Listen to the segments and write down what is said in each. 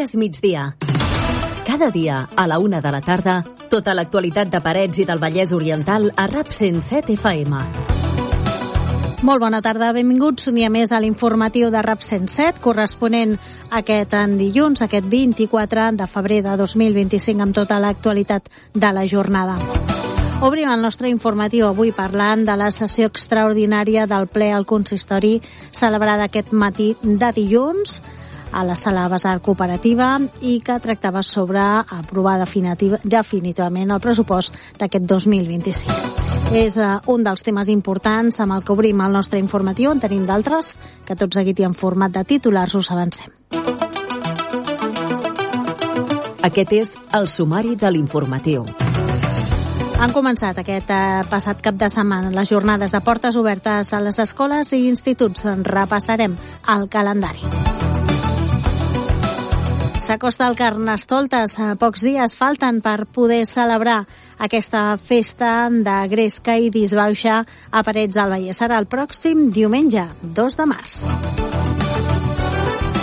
És migdia. Cada dia, a la 1 de la tarda, tota l'actualitat de Parets i del Vallès Oriental a RAP 107 FM. Molt bona tarda, benvinguts un dia més a l'informatiu de RAP 107, corresponent aquest dilluns, aquest 24 de febrer de 2025, amb tota l'actualitat de la jornada. Obrim el nostre informatiu avui parlant de la sessió extraordinària del ple al consistori celebrada aquest matí de dilluns a la sala Basar Cooperativa i que tractava sobre aprovar definitivament el pressupost d'aquest 2025. És un dels temes importants amb el que obrim el nostre informatiu. En tenim d'altres que tot seguit i en format de titulars us avancem. Aquest és el sumari de l'informatiu. Han començat aquest passat cap de setmana les jornades de portes obertes a les escoles i instituts. Repassarem el calendari. S'acosta el Carnestoltes. Pocs dies falten per poder celebrar aquesta festa de gresca i disbauxa a Parets del Vallès. Serà el pròxim diumenge, 2 de març.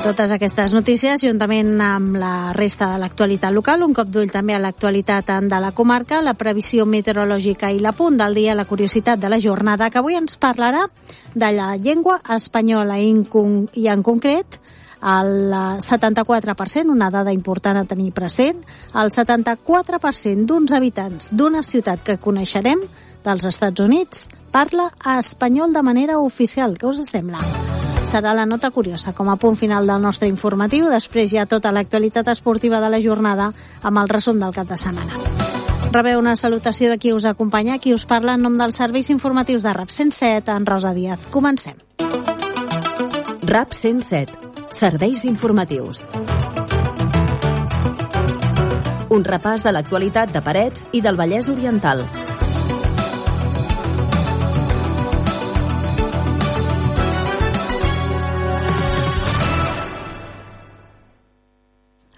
Totes aquestes notícies, juntament amb la resta de l'actualitat local, un cop d'ull també a l'actualitat de la comarca, la previsió meteorològica i l'apunt del dia, la curiositat de la jornada, que avui ens parlarà de la llengua espanyola i en concret el 74%, una dada important a tenir present, el 74% d'uns habitants d'una ciutat que coneixerem dels Estats Units parla espanyol de manera oficial. Què us sembla? Serà la nota curiosa com a punt final del nostre informatiu. Després hi ha tota l'actualitat esportiva de la jornada amb el resum del cap de setmana. Rebeu una salutació de qui us acompanya, qui us parla en nom dels serveis informatius de RAP 107, en Rosa Díaz. Comencem. RAP 107. Serveis informatius. Un repàs de l'actualitat de Parets i del Vallès Oriental.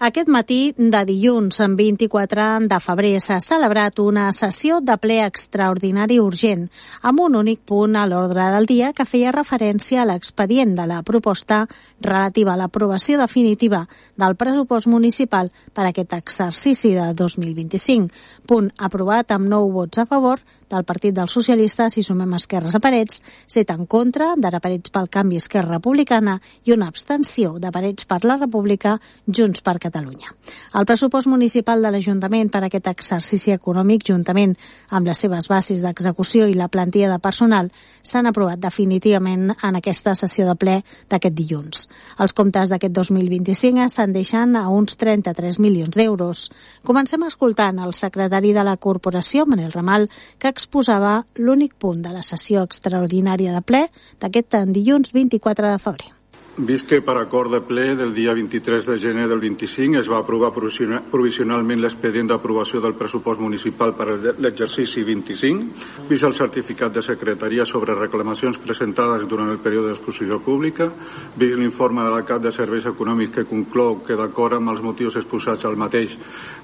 Aquest matí de dilluns, en 24 de febrer, s'ha celebrat una sessió de ple extraordinari urgent, amb un únic punt a l'ordre del dia que feia referència a l'expedient de la proposta relativa a l'aprovació definitiva del pressupost municipal per a aquest exercici de 2025. Punt aprovat amb 9 vots a favor del Partit dels Socialistes, si sumem Esquerres a Parets, 7 en contra, d'Ara Parets pel Canvi Esquerra Republicana i una abstenció de Parets per la República, Junts per Catalunya. El pressupost municipal de l'Ajuntament per a aquest exercici econòmic, juntament amb les seves bases d'execució i la plantilla de personal, s'han aprovat definitivament en aquesta sessió de ple d'aquest dilluns. Els comptes d'aquest 2025 se'n deixen a uns 33 milions d'euros. Comencem escoltant el secretari de la Corporació, Manel Ramal, que exposava l'únic punt de la sessió extraordinària de ple d'aquest dilluns 24 de febrer. Vist que per acord de ple del dia 23 de gener del 25 es va aprovar provisionalment l'expedient d'aprovació del pressupost municipal per a l'exercici 25, vist el certificat de secretaria sobre reclamacions presentades durant el període d'exposició pública, vist l'informe de la Cap de Serveis Econòmics que conclou que d'acord amb els motius exposats al mateix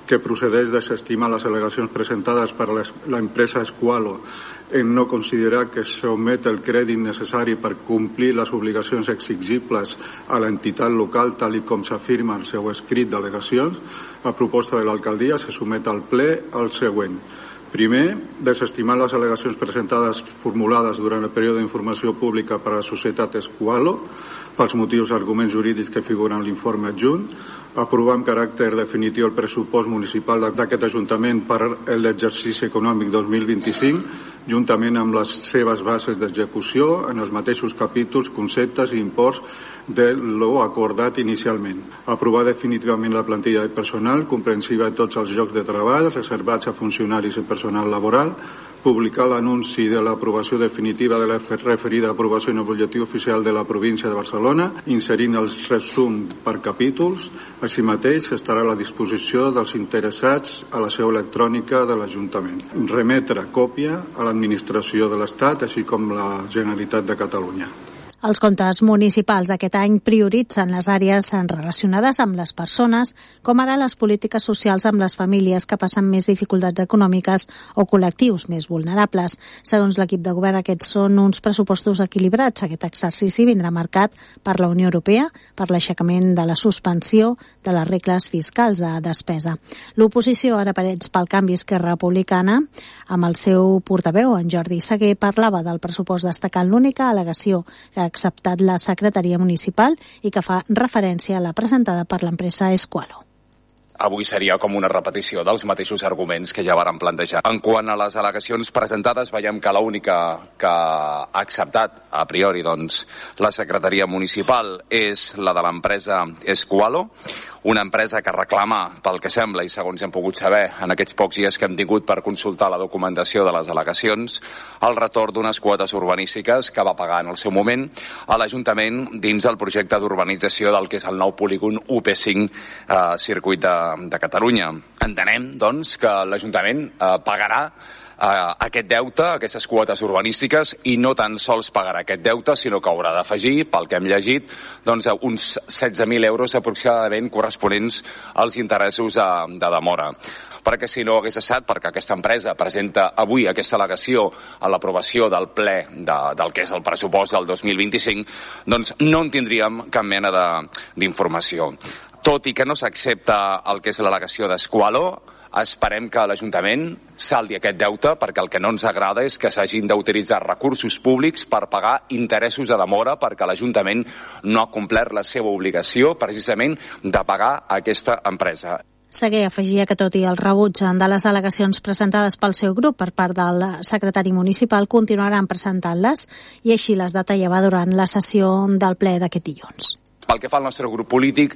que procedeix desestimar les al·legacions presentades per l'empresa Esqualo en no considerar que s'omet el crèdit necessari per complir les obligacions exigibles a l'entitat local tal i com s'afirma en el seu escrit d'al·legacions, a proposta de l'alcaldia se somet al ple el següent. Primer, desestimar les al·legacions presentades formulades durant el període d'informació pública per a la societat Esqualo pels motius i arguments jurídics que figuren en l'informe adjunt, aprovar amb caràcter definitiu el pressupost municipal d'aquest Ajuntament per a l'exercici econòmic 2025, juntament amb les seves bases d'execució en els mateixos capítols, conceptes i imports de lo acordat inicialment. Aprovar definitivament la plantilla de personal comprensiva de tots els llocs de treball reservats a funcionaris i personal laboral, publicar l'anunci de l'aprovació definitiva de la referida aprovació en el butlletí oficial de la província de Barcelona, inserint el resum per capítols. Així mateix estarà a la disposició dels interessats a la seu electrònica de l'Ajuntament. Remetre còpia a l'administració de l'Estat, així com la Generalitat de Catalunya. Els comptes municipals d'aquest any prioritzen les àrees relacionades amb les persones, com ara les polítiques socials amb les famílies que passen més dificultats econòmiques o col·lectius més vulnerables. Segons l'equip de govern, aquests són uns pressupostos equilibrats. Aquest exercici vindrà marcat per la Unió Europea, per l'aixecament de la suspensió de les regles fiscals de despesa. L'oposició, ara Parets pel Canvi, Esquerra Republicana, amb el seu portaveu, en Jordi Seguer, parlava del pressupost destacant l'única al·legació que ha acceptat la secretaria municipal i que fa referència a la presentada per l'empresa Esqualo. Avui seria com una repetició dels mateixos arguments que ja vàrem plantejar. En quant a les al·legacions presentades, veiem que l'única que ha acceptat a priori la secretaria municipal és la de l'empresa Esqualo, una empresa que reclama, pel que sembla, i segons hem pogut saber en aquests pocs dies que hem tingut per consultar la documentació de les al·legacions, el retorn d'unes quotes urbanístiques que va pagar en el seu moment a l'Ajuntament dins del projecte d'urbanització del que és el nou polígon UP5 circuit de Catalunya. Entenem, doncs, que l'Ajuntament pagarà aquest deute, aquestes quotes urbanístiques, i no tan sols pagarà aquest deute, sinó que haurà d'afegir, pel que hem llegit, uns 16.000 euros aproximadament corresponents als interessos de demora. Perquè si no hagués estat perquè aquesta empresa presenta avui aquesta al·legació a l'aprovació del ple del que és el pressupost del 2025, doncs no en tindríem cap mena d'informació. Tot i que no s'accepta el que és l'al·legació d'Esqualo, esperem que l'Ajuntament saldi aquest deute, perquè el que no ens agrada és que s'hagin d'utilitzar recursos públics per pagar interessos de demora, perquè l'Ajuntament no ha complert la seva obligació precisament de pagar aquesta empresa. Seguer afegia que tot i el rebuig de les al·legacions presentades pel seu grup per part del secretari municipal, continuaran presentant-les, i així les detallava durant la sessió del ple d'aquest dilluns. Pel que fa al nostre grup polític,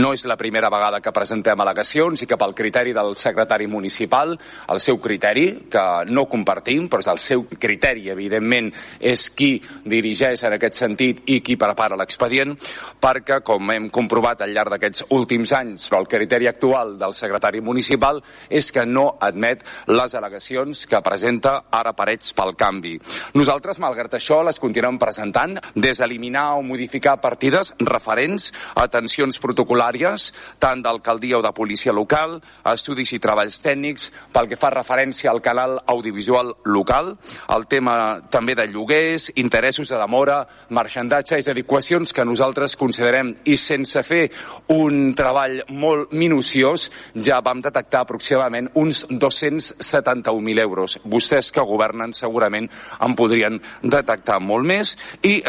no és la primera vegada que presentem al·legacions i que pel criteri del secretari municipal, el seu criteri, que no compartim, però és el seu criteri, evidentment, és qui dirigeix en aquest sentit i qui prepara l'expedient, perquè, com hem comprovat al llarg d'aquests últims anys, el criteri actual del secretari municipal és que no admet les al·legacions que presenta ara Parets pel Canvi. Nosaltres, malgrat això, les continuem presentant, des d'eliminar o modificar partides referents a tensions protocolàries, tant d'alcaldia o de policia local, estudis i treballs tècnics, pel que fa referència al canal audiovisual local, el tema també de lloguers, interessos de demora, marxandatge, és a dir, qüestions que nosaltres considerem, i sense fer un treball molt minuciós, ja vam detectar aproximadament uns 271.000 euros. Vostès que governen segurament en podrien detectar molt més, i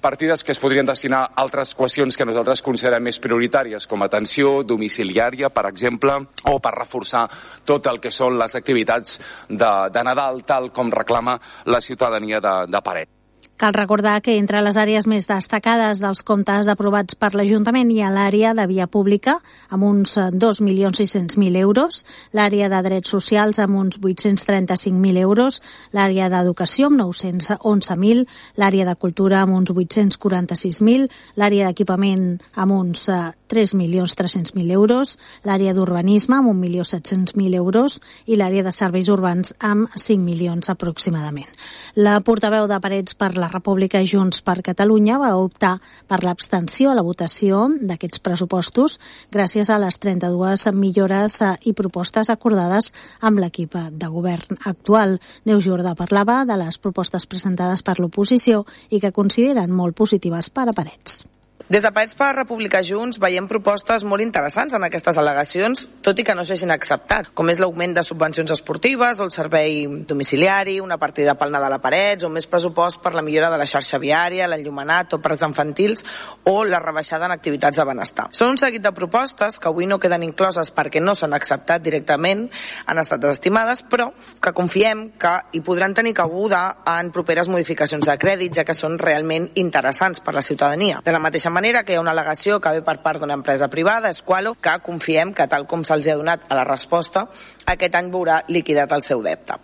partides que es podrien destinar a altres qüestions que nosaltres considerem més prioritàries, com atenció domiciliària, per exemple, o per reforçar tot el que són les activitats de Nadal, tal com reclama la ciutadania de Parets. Cal recordar que entre les àrees més destacades dels comptes aprovats per l'Ajuntament hi ha l'àrea de via pública, amb uns 2.600.000 euros, l'àrea de drets socials amb uns 835.000 euros, l'àrea d'educació amb 911.000, l'àrea de cultura amb uns 846.000, l'àrea d'equipament amb uns 3.300.000 euros, l'àrea d'urbanisme amb 1.700.000 euros i l'àrea de serveis urbans amb 5 milions aproximadament. La portaveu de Parets per la República Junts per Catalunya va optar per l'abstenció a la votació d'aquests pressupostos gràcies a les 32 millores i propostes acordades amb l'equip de govern actual. Neus Jordà parlava de les propostes presentades per l'oposició i que consideren molt positives per a Parets. Des de Parets per la República Junts veiem propostes molt interessants en aquestes al·legacions, tot i que no s'hagin acceptat, com és l'augment de subvencions esportives, o el servei domiciliari, una partida pel Nadal a Parets, o més pressupost per la millora de la xarxa viària, l'enllumenat o parcs infantils, o la rebaixada en activitats de benestar. Són un seguit de propostes que avui no queden incloses perquè no s'han acceptat directament, han estat desestimades, però que confiem que hi podran tenir cabuda en properes modificacions de crèdit, ja que són realment interessants per la ciutadania. De la mateixa manera que hi ha una al·legació que ve per part d'una empresa privada, Esqualo, que confiem que, tal com se'ls ha donat a la resposta, aquest any veurà liquidat el seu deute.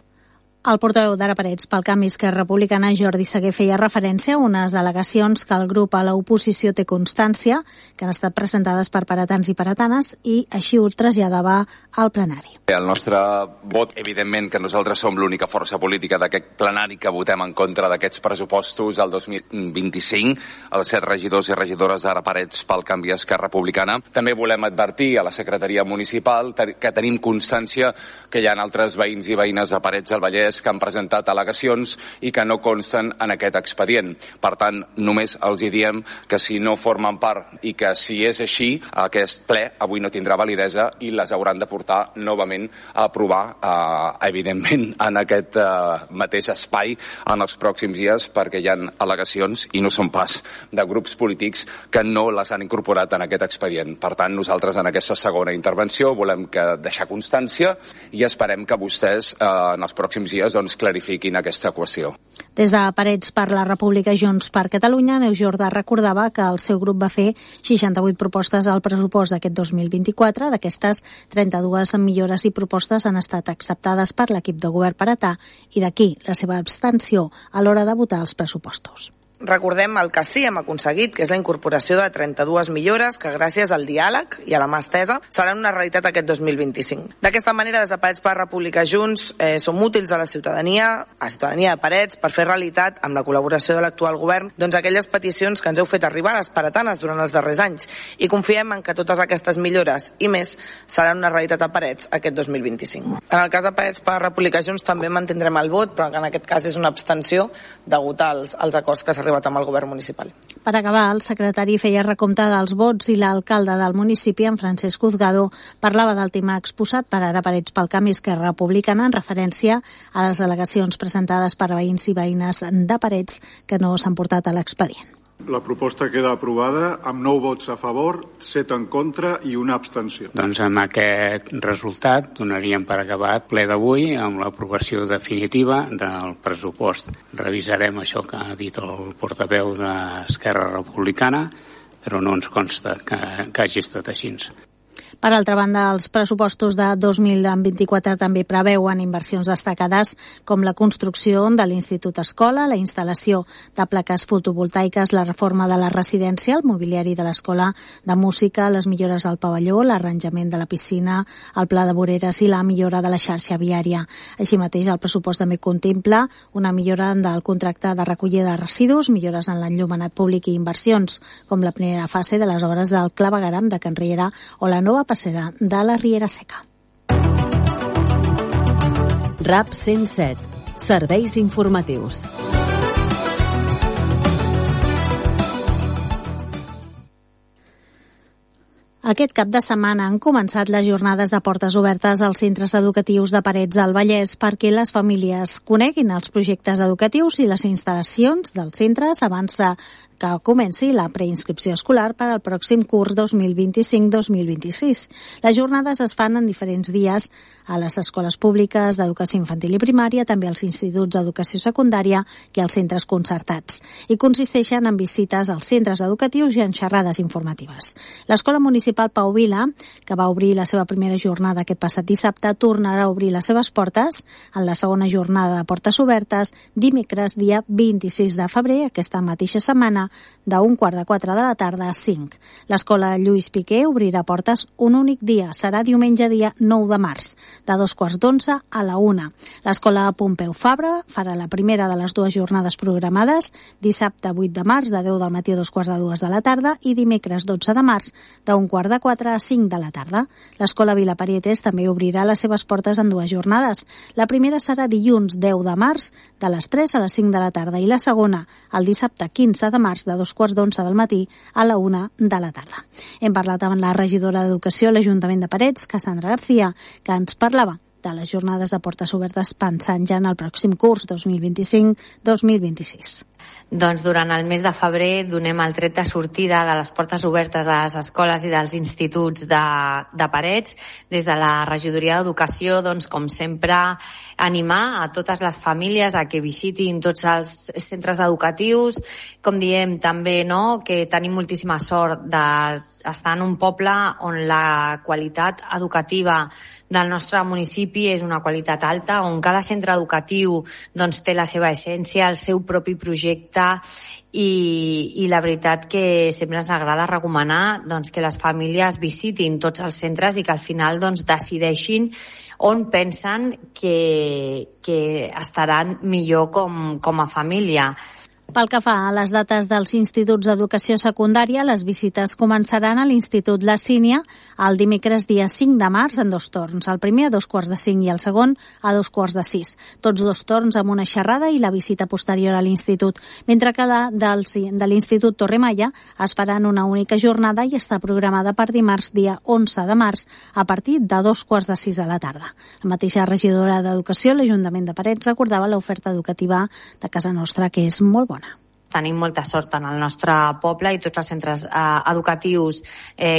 El portaveu d'Ara Parets pel Canvi Esquerra Republicana, Jordi Segué, feia referència a unes al·legacions que el grup a l'oposició té constància, que han estat presentades per paratans i paratanes, i així ho traslladava al plenari. El nostre vot, evidentment que nosaltres som l'única força política d'aquest plenari que votem en contra d'aquests pressupostos del 2025, els 7 regidors i regidores d'Ara Parets pel Canvi Esquerra Republicana. També volem advertir a la secretaria municipal que tenim constància que hi ha altres veïns i veïnes de Parets del Vallès que han presentat al·legacions i que no consten en aquest expedient. Per tant, només els hi diem que si no formen part i que si és així, aquest ple avui no tindrà validesa i les hauran de portar novament a aprovar, evidentment, en aquest mateix espai en els pròxims dies, perquè hi ha al·legacions i no són pas de grups polítics que no les han incorporat en aquest expedient. Per tant, nosaltres en aquesta segona intervenció volem deixar constància i esperem que vostès en els pròxims dies clarifiquin aquesta qüestió. Des de Parets per la República Junts per Catalunya, Neus Jordà recordava que el seu grup va fer 68 propostes al pressupost d'aquest 2024. D'aquestes, 32 millores i propostes han estat acceptades per l'equip de govern paratà i d'aquí la seva abstenció a l'hora de votar els pressupostos. Recordem el que sí hem aconseguit, que és la incorporació de 32 millores que gràcies al diàleg i a la mà estesa seran una realitat aquest 2025. D'aquesta manera, des de Parets per la República Junts som útils a la ciutadania de Parets, per fer realitat, amb la col·laboració de l'actual govern, aquelles peticions que ens heu fet arribar a les paratanes durant els darrers anys, i confiem en que totes aquestes millores i més seran una realitat a Parets aquest 2025. En el cas de Parets per la República Junts també mantindrem el vot, però que en aquest cas és una abstenció degut als acords que s'ha arribat amb el govern municipal. Per acabar, el secretari feia recompte dels vots i l'alcalde del municipi, en Francesc Uzgado, parlava del tema exposat per Ara Parets pel Canvi Esquerra Republicana en referència a les al·legacions presentades per veïns i veïnes de Parets que no s'han portat a l'expedient. La proposta queda aprovada amb 9 vots a favor, 7 en contra i una abstenció. Doncs amb aquest resultat donaríem per acabat ple d'avui amb l'aprovació definitiva del pressupost. Revisarem això que ha dit el portaveu d'Esquerra Republicana, però no ens consta que hagi estat així. Per altra banda, els pressupostos de 2024 també preveuen inversions destacades com la construcció de l'Institut Escola, la instal·lació de plaques fotovoltaiques, la reforma de la residència, el mobiliari de l'Escola de Música, les millores al pavelló, l'arranjament de la piscina, el pla de voreres i la millora de la xarxa viària. Així mateix, el pressupost també contempla una millora del contracte de recollida de residus, millores en l'enllumenat públic i inversions, com la primera fase de les obres del clavegueram de Can Riera o la nova passera de la Riera Seca. RAP 107. Serveis informatius. Aquest cap de setmana han començat les jornades de portes obertes als centres educatius de Parets del Vallès perquè les famílies coneguin els projectes educatius i les instal·lacions dels centres abans que comenci la preinscripció escolar per al pròxim curs 2025-2026. Les jornades es fan en diferents dies a les escoles públiques d'educació infantil i primària, també als instituts d'educació secundària i als centres concertats, i consisteixen en visites als centres educatius i en xerrades informatives. L'Escola Municipal Pau Vila, que va obrir la seva primera jornada aquest passat dissabte, tornarà a obrir les seves portes en la segona jornada de portes obertes dimecres, dia 26 de febrer, aquesta mateixa setmana, d'1:45 de la tarda a 5. L'Escola Lluís Piqué obrirà portes un únic dia, serà diumenge dia 9 de març, de 2:15 a la 1. L'Escola Pompeu Fabra farà la primera de les dues jornades programades, dissabte 8 de març, de 10 del matí a 2:45 de la tarda, i dimecres 12 de març, d'1:45 a 5 de la tarda. L'Escola Vila Parietes també obrirà les seves portes en dues jornades. La primera serà dilluns 10 de març, de les 3 a les 5 de la tarda, i la segona, el dissabte 15 de març, de 2:15 del matí a la 1 de la tarda. Hem parlat amb la regidora d'Educació a l'Ajuntament de Parets, Cassandra García, que ens parlava de les jornades de portes obertes pensant ja en el pròxim curs 2025-2026. Doncs durant el mes de febrer donem el tret de sortida de les portes obertes a les escoles i dels instituts de Parets. Des de la regidoria d'Educació, doncs, com sempre, animar a totes les famílies a que visitin tots els centres educatius. Com diem també, no?, que tenim moltíssima sort de està en un poble on la qualitat educativa del nostre municipi és una qualitat alta, on cada centre educatiu doncs, té la seva essència, el seu propi projecte i la veritat que sempre ens agrada recomanar doncs, que les famílies visitin tots els centres i que al final doncs, decideixin on pensen que estaran millor com a família. Pel que fa a les dates dels instituts d'educació secundària, les visites començaran a l'Institut La Sínia el dimecres dia 5 de març en 2 torns, el primer a 2:45 i el segon a 2:45. Tots 2 torns amb una xerrada i la visita posterior a l'institut, mentre que de l'Institut Torremalla es farà en una única jornada i està programada per dimarts dia 11 de març a partir de 2:45 de la tarda. La mateixa regidora d'Educació, l'Ajuntament de Parets, recordava l'oferta educativa de casa nostra, que és molt bona. Tenim molta sort en el nostre poble i tots els centres educatius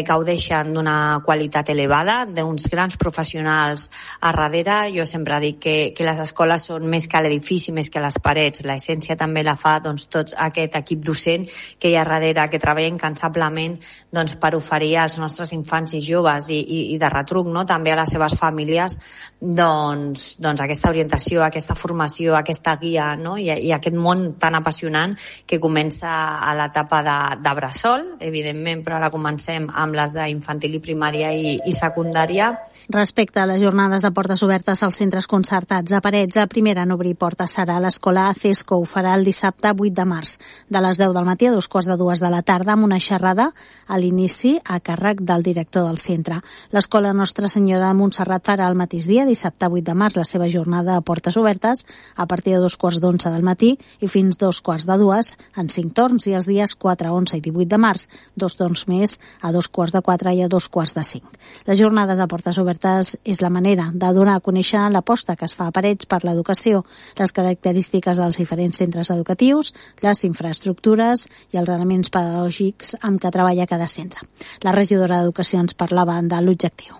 gaudeixen d'una qualitat elevada, d'uns grans professionals a darrere. Jo sempre dic que les escoles són més que l'edifici, més que les parets. L'essència també la fa doncs, tot aquest equip docent que hi ha darrere, que treballa incansablement doncs, per oferir als nostres infants i joves i de retruc, no? També a les seves famílies doncs aquesta orientació, aquesta formació, aquesta guia, no? I aquest món tan apassionant que comença a l'etapa de bressol, evidentment, però ara comencem amb les d'infantil i primària i secundària. Respecte a les jornades de portes obertes als centres concertats a Parets, a primera en obrir portes serà l'escola CESCO. Ho farà el dissabte 8 de març, de les 10 del matí a 2:45 de la tarda, amb una xerrada a l'inici a càrrec del director del centre. L'escola Nostra Senyora de Montserrat farà el mateix dia, dissabte 8 de març, la seva jornada a portes obertes a partir de 2:45 del matí i fins 2:45 en 5 torns, i els dies 4, 11 i 18 de març, 2 torns més a 2:45 i a 2:45. Les jornades de portes obertes és la manera de donar a conèixer l'aposta que es fa a Parets per l'educació, les característiques dels diferents centres educatius, les infraestructures i els elements pedagògics amb què treballa cada centre. La regidora d'Educació ens parlava de l'objectiu.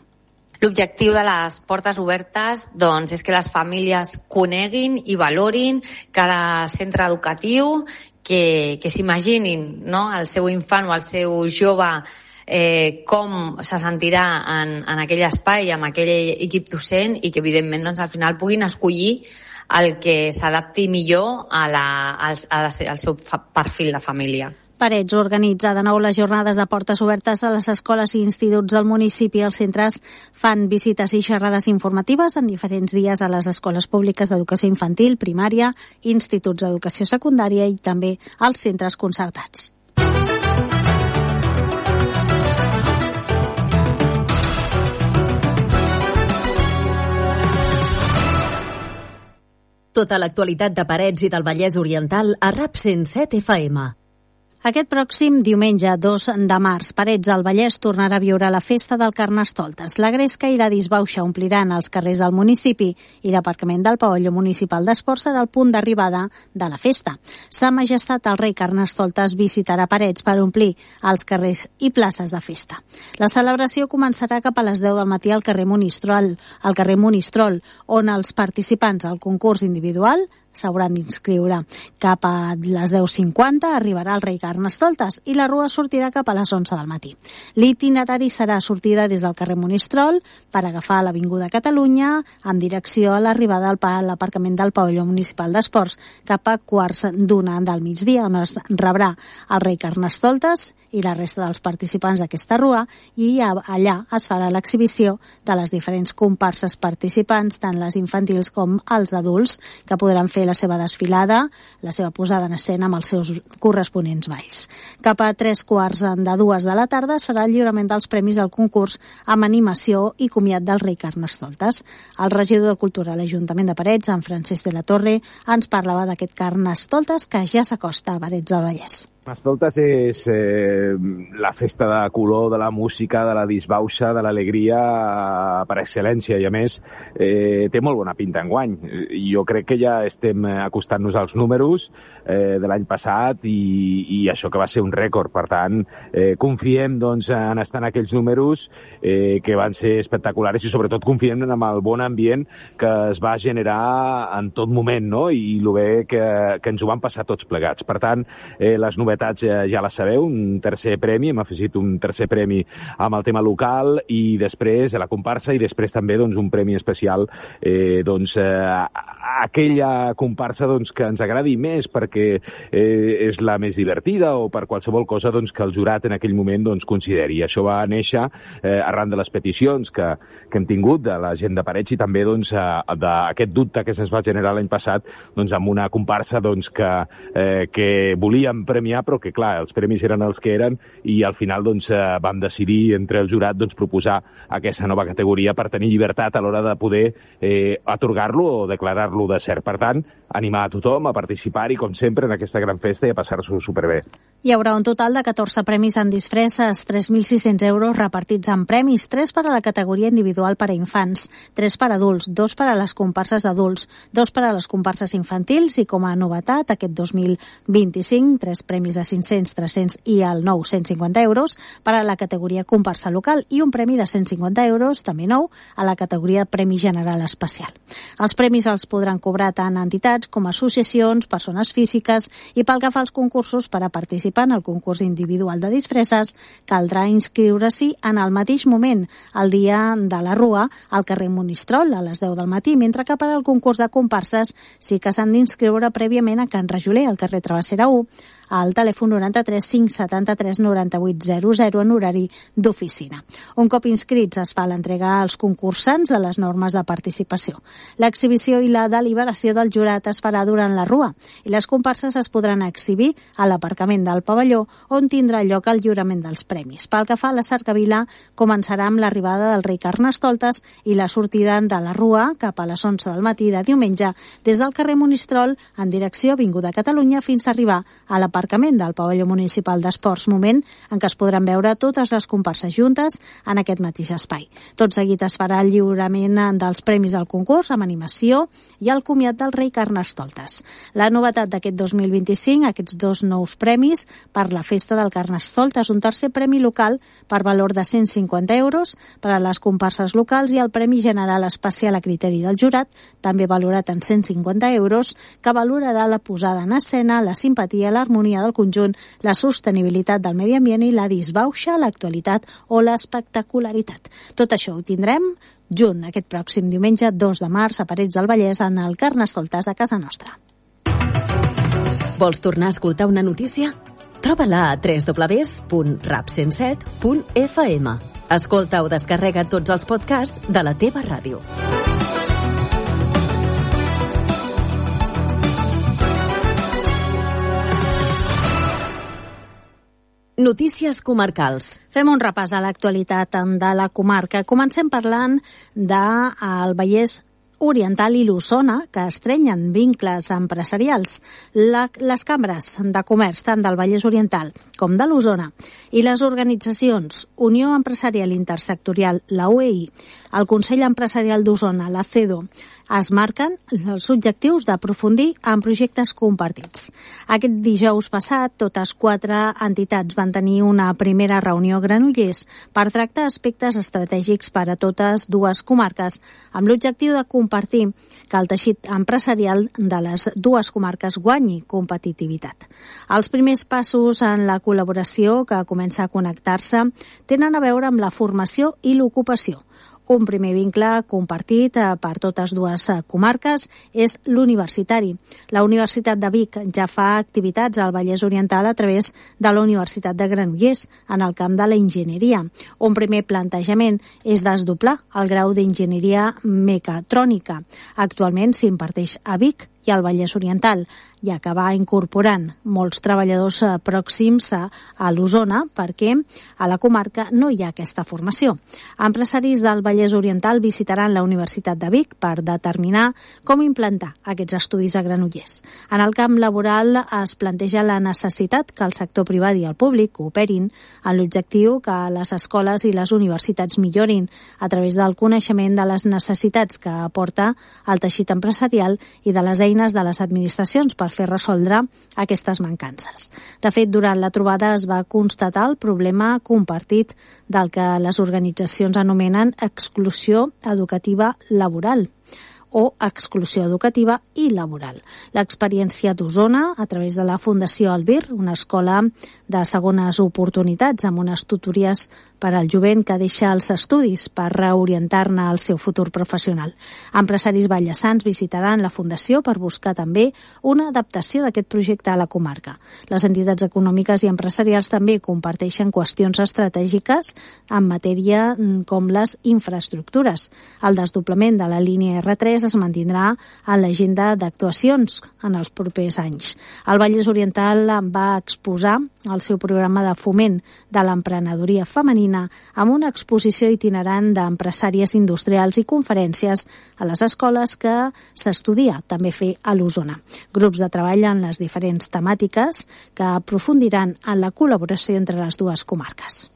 L'objectiu de les portes obertes doncs, és que les famílies coneguin i valorin cada centre educatiu, que s'imaginin, no?, el seu infant o el seu jove com se sentirà en aquell espai, amb aquell equip docent, i que evidentment doncs, al final puguin escollir el que s'adapti millor al seu perfil de família. Parets organitza de nou les jornades de portes obertes a les escoles i instituts del municipi. Els centres fan visites i xerrades informatives en diferents dies a les escoles públiques d'educació infantil, primària, instituts d'educació secundària i també als centres concertats. Tota l'actualitat de Parets i del Vallès Oriental a RAP 107 FM. Aquest pròxim diumenge 2 de març, Parets al Vallès tornarà a viure la festa del Carnestoltes. La gresca i la disbauxa ompliran els carrers del municipi i l'aparcament del pavelló municipal d'esports serà el punt d'arribada de la festa. Sa Majestat el rei Carnestoltes visitarà Parets per omplir els carrers i places de festa. La celebració començarà cap a les 10 del matí al carrer Monistrol, on els participants al concurs individual s'hauran d'inscriure. Cap a les 10:50 arribarà el rei Carnestoltes i la rua sortirà cap a les 11 del matí. L'itinerari serà sortida des del carrer Monistrol per agafar l'Avinguda Catalunya amb direcció a l'arribada a l'aparcament del pavelló municipal d'esports cap a 1:15 del migdia, on es rebrà el rei Carnestoltes i la resta dels participants d'aquesta rua, i allà es farà l'exhibició de les diferents comparses participants, tant les infantils com els adults, que podran fer la seva desfilada, la seva posada en escena amb els seus corresponents balls. Cap a 3:45 de la tarda es farà el lliurament dels premis del concurs amb animació i comiat del rei Carnestoltes. El regidor de Cultura a l'Ajuntament de Parets, en Francesc de la Torre, ens parlava d'aquest Carnestoltes que ja s'acosta a Parets del Vallès. Carnestoltes és la festa de color, de la música, de la disbauxa, de l'alegria per excel·lència, i a més té molt bona pinta enguany. Jo crec que ja estem acostant-nos als números de l'any passat i això que va ser un rècord. Per tant, confiem doncs, en estar en aquells números que van ser espectaculars i sobretot confiem en el bon ambient que es va generar en tot moment, no? I el bé que ens ho van passar tots plegats. Per tant, les novetats novetats ja les sabeu, un tercer premi, hem afegit un tercer premi amb el tema local i després a la comparsa i després també doncs, un premi especial aquella comparsa doncs, que ens agradi més perquè és la més divertida o per qualsevol cosa doncs, que el jurat en aquell moment doncs, consideri. Això va néixer arran de les peticions que hem tingut de la gent de Parets i també doncs, d'aquest dubte que se'ns va generar l'any passat doncs, amb una comparsa doncs, que volíem premiar però que clar, els premis eren els que eren i al final doncs, vam decidir entre el jurat doncs, proposar aquesta nova categoria per tenir llibertat a l'hora de poder atorgar-lo o declarar-lo de cert. Per tant, animar a tothom a participar-hi, com sempre, en aquesta gran festa i a passar-s'ho superbé. Hi haurà un total de 14 premis en disfresses, 3.600 euros repartits en premis, 3 per a la categoria individual per a infants, 3 per a adults, 2 per a les comparses d'adults, 2 per a les comparses infantils i, com a novetat, aquest 2025, 3 premis de 500, 300 i el nou 150 euros per a la categoria comparsa local i un premi de 150 euros, també nou, a la categoria Premi General Especial. Els premis els podran cobrar tant entitats com associacions, persones físiques i pel que fa als concursos per a participar en el concurs individual de disfresses caldrà inscriure-s'hi en el mateix moment, el dia de la Rua, al carrer Monistrol, a les 10 del matí, mentre que per al concurs de comparses sí que s'han d'inscriure prèviament a Can Rajoler, al carrer Travessera 1, al telèfon 93 573 98 00 en horari d'oficina. Un cop inscrits es fa l'entrega als concursants de les normes de participació. L'exhibició i la deliberació del jurat es farà durant la Rua i les comparses es podran exhibir a l'aparcament del pavelló on tindrà lloc el lliurament dels premis. Pel que fa a la cercavila, començarà amb l'arribada del rei Carnestoltes i la sortida de la Rua cap a les 11 del matí de diumenge des del carrer Monistrol en direcció Avinguda Catalunya fins a arribar a l'aparcament del pavelló municipal d'esports, moment en què es podran veure totes les comparses juntes en aquest mateix espai. Tot seguit es farà el lliurament dels premis al concurs amb animació i el comiat del rei Carnestoltes. La novetat d'aquest 2025, aquests 2 nous premis per la festa del Carnestoltes, un tercer premi local per valor de 150 euros per a les comparses locals i el Premi General Especial a criteri del jurat, també valorat en 150 euros, que valorarà la posada en escena, la simpatia, l'harmonia del conjunt, la sostenibilitat del medi ambient i la disbauxa, l'actualitat o l'espectacularitat. Tot això ho tindrem junt aquest pròxim diumenge 2 de març a Parets del Vallès en el Carnestoltes a casa nostra. Vols tornar a escoltar una notícia? Troba-la a www.rap107.fm. Escolta o descarrega tots els podcasts de la teva ràdio. Notícies comarcals. Fem un repàs a l'actualitat de la comarca. Comencem parlant del Vallès Oriental i l'Osona, que estrenyen vincles empresarials. Les cambres de comerç, tant del Vallès Oriental com de l'Osona, i les organitzacions Unió Empresarial Intersectorial, la UEI, el Consell Empresarial d'Osona, la CEDO, es marquen els objectius d'aprofundir en projectes compartits. Aquest dijous passat, totes 4 entitats van tenir una primera reunió a Granollers per tractar aspectes estratègics per a totes 2 comarques, amb l'objectiu de compartir que el teixit empresarial de les 2 comarques guanyi competitivitat. Els primers passos en la col·laboració, que comença a connectar-se, tenen a veure amb la formació i l'ocupació. Un primer vincle compartit per totes 2 comarques és l'universitari. La Universitat de Vic ja fa activitats al Vallès Oriental a través de la Universitat de Granollers en el camp de la enginyeria. Un primer plantejament és desdoblar el grau d'enginyeria mecatrònica. Actualment s'imparteix a Vic i al Vallès Oriental, i acabar incorporant molts treballadors pròxims a l'Osona perquè a la comarca no hi ha aquesta formació. Empresaris del Vallès Oriental visitaran la Universitat de Vic per determinar com implantar aquests estudis a Granollers. En el camp laboral es planteja la necessitat que el sector privat i el públic cooperin en l'objectiu que les escoles i les universitats millorin a través del coneixement de les necessitats que aporta el teixit empresarial i de les eines de les administracions per fer resoldre aquestes mancances. De fet, durant la trobada es va constatar el problema compartit del que les organitzacions anomenen exclusió educativa laboral. o exclusió educativa i laboral. L'experiència d'Osona, a través de la Fundació Albir, una escola de segones oportunitats amb unes tutories per al jovent que deixa els estudis per reorientar-ne al seu futur professional. Empresaris valleçans visitaran la Fundació per buscar també una adaptació d'aquest projecte a la comarca. Les entitats econòmiques i empresarials també comparteixen qüestions estratègiques en matèria com les infraestructures. El desdoblament de la línia R3 es mantindrà en l'agenda d'actuacions en els propers anys. El Vallès Oriental va exposar el seu programa de foment de l'emprenedoria femenina amb una exposició itinerant d'empresàries industrials i conferències a les escoles que s'estudia també fer a l'Osona. Grups de treball en les diferents temàtiques que aprofundiran en la col·laboració entre les dues comarques.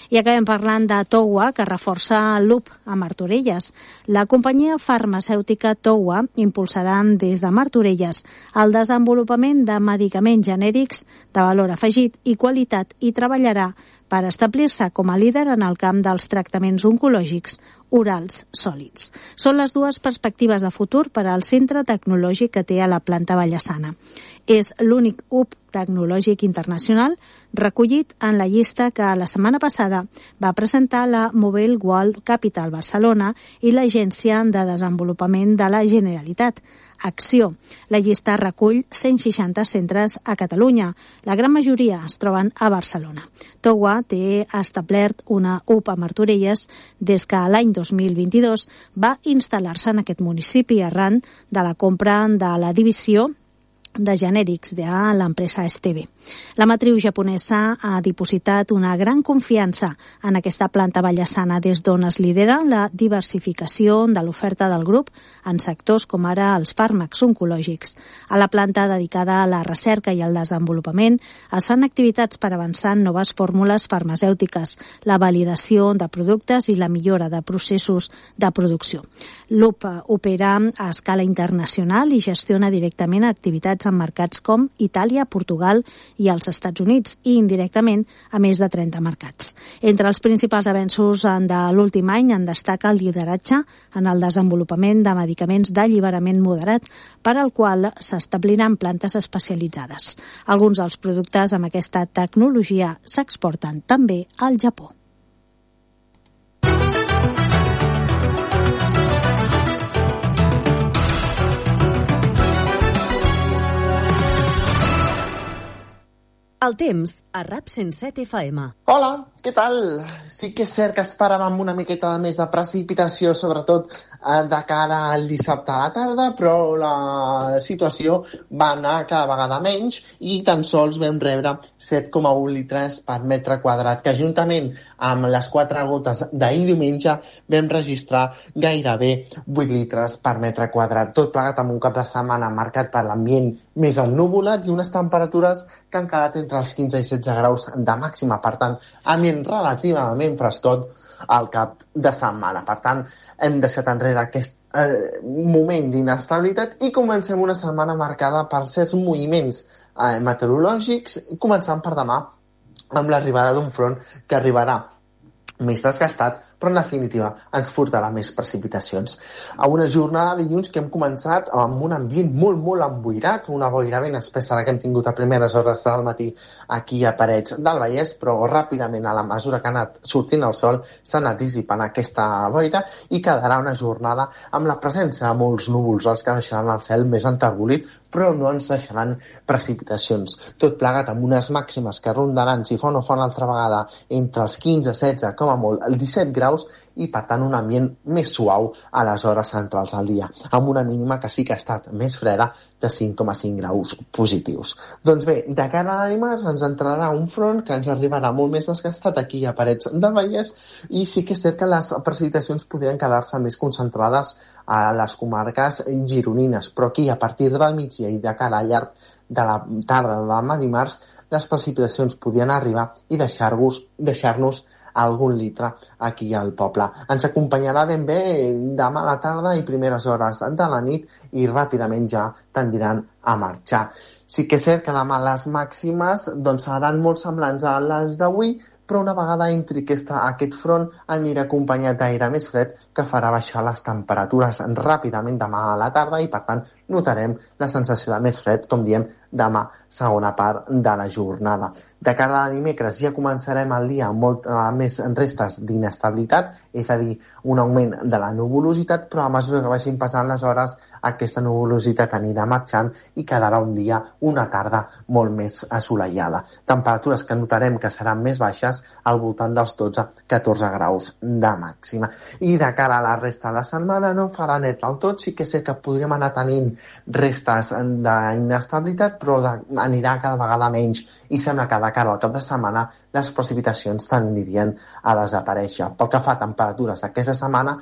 I acabem parlant de Toua, que reforça l'UP a Martorelles. La companyia farmacèutica Toua impulsarà des de Martorelles el desenvolupament de medicaments genèrics de valor afegit i qualitat i treballarà per establir-se com a líder en el camp dels tractaments oncològics orals sòlids. Són les dues perspectives de futur per al centre tecnològic que té a la planta valleçana. És l'únic hub tecnològic internacional recollit en la llista que la setmana passada va presentar la Mobile World Capital Barcelona i l'Agència de Desenvolupament de la Generalitat, Acció. La llista recull 160 centres a Catalunya. La gran majoria es troben a Barcelona. Toua té establert una UP a Martorelles des que l'any 2022 va instal·lar-se en aquest municipi arran de la compra de la divisió de genèrics de l'empresa Esteve. La matriu japonesa ha dipositat una gran confiança en aquesta planta valleçana des d'on es lidera la diversificació de l'oferta del grup en sectors com ara els fàrmacs oncològics. A la planta dedicada a la recerca i al desenvolupament es fan activitats per avançar en noves fórmules farmacèutiques, la validació de productes i la millora de processos de producció. L'UP opera a escala internacional i gestiona directament activitats en mercats com Itàlia, Portugal i als Estats Units i indirectament a més de 30 mercats. Entre els principals avenços de l'últim any en destaca el lideratge en el desenvolupament de medicaments d'alliberament moderat per al qual s'establiran plantes especialitzades. Alguns dels productes amb aquesta tecnologia s'exporten també al Japó. El temps a RAP 107 FM. Hola, què tal? Sí que és cert que esperàvem una miqueta més de precipitació, sobretot de cara al dissabte a la tarda, però la situació va anar cada vegada menys i tan sols vam rebre 7,1 litres per metre quadrat, que juntament amb les 4 gotes d'ahir diumenge vam registrar gairebé 8 litres per metre quadrat. Tot plegat amb un cap de setmana marcat per l'ambient més ennuvolat i unes temperatures que han quedat entre els 15 i 16 graus de màxima. Per tant, ambient relativament frescot al cap de setmana. Per tant, hem deixat enrere aquest moment d'inestabilitat i comencem una setmana marcada per certs moviments meteorològics, començant per demà amb l'arribada d'un front que arribarà més desgastat, però en definitiva ens portarà més precipitacions. A una jornada de dilluns que hem començat amb un ambient molt, molt emboirat, una boira ben espessa que hem tingut a primeres hores del matí aquí a Parets del Vallès, però ràpidament, a la mesura que ha anat sortint el sol, s'ha anat dissipant aquesta boira i quedarà una jornada amb la presència de molts núvols, els que deixaran el cel més enterbolit, però no ens deixaran precipitacions. Tot plegat amb unes màximes que rondaran, si fa o no fa una altra vegada, entre els 15, 16, com a molt, el 17 graus, i per tant un ambient més suau a les hores centrals del dia, amb una mínima que sí que ha estat més freda de 5,5 graus positius. Doncs bé, de cara a dimarts ens entrarà un front que ens arribarà molt més desgastat aquí a Parets del Vallès i sí que és cert que les precipitacions podrien quedar-se més concentrades a les comarques gironines, però aquí a partir del migdia i de cara al llarg de la tarda de demà dimarts les precipitacions podien arribar i deixar-nos algun litre aquí al poble. Ens acompanyarà ben bé demà a la tarda i primeres hores de la nit i ràpidament ja tendiran a marxar. Sí que és cert que demà les màximes seran molt semblants a les d'avui, però una vegada entri aquest front anirà acompanyat d'aire més fred que farà baixar les temperatures ràpidament demà a la tarda i, per tant, notarem la sensació de més fred, com diem, demà, segona part de la jornada. De cara a dimecres ja començarem el dia amb molt més restes d'inestabilitat, és a dir, un augment de la nuvolositat, però a mesura que vagin passant les hores aquesta nuvolositat anirà marxant i quedarà un dia, una tarda molt més assolellada. Temperatures que notarem que seran més baixes al voltant dels 12-14 graus de màxima. I de cara a la resta de la setmana no farà net del tot, sí que sé que podríem anar tenint restes d'inestabilitat, però anirà cada vegada menys i sembla que de cara al cap de setmana les precipitacions tendirien a desaparèixer. Pel que fa a temperatures d'aquesta setmana,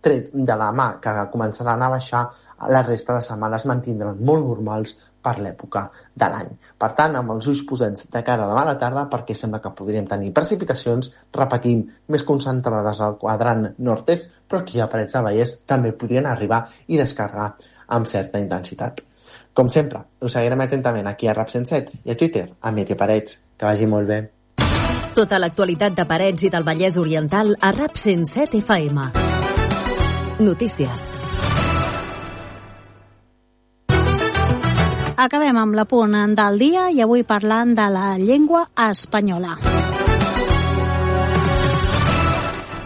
tret de demà, que començaran a baixar, la resta de setmanes mantindran molt normals per l'època de l'any. Per tant, amb els ulls posats de cara a demà a la tarda, perquè sembla que podríem tenir precipitacions, repetim, més concentrades al quadrant nord-est, però aquí a Parets del Vallès també podrien arribar i descarregar amb certa intensitat. Com sempre, us seguirem atentament aquí a RAP 107 i a Twitter, a Míriam Parets. Que vagi molt bé. Tota l'actualitat de Parets i del Vallès Oriental a RAP 107 FM. Notícies. Acabem amb l'apunt del dia i avui parlant de la llengua espanyola.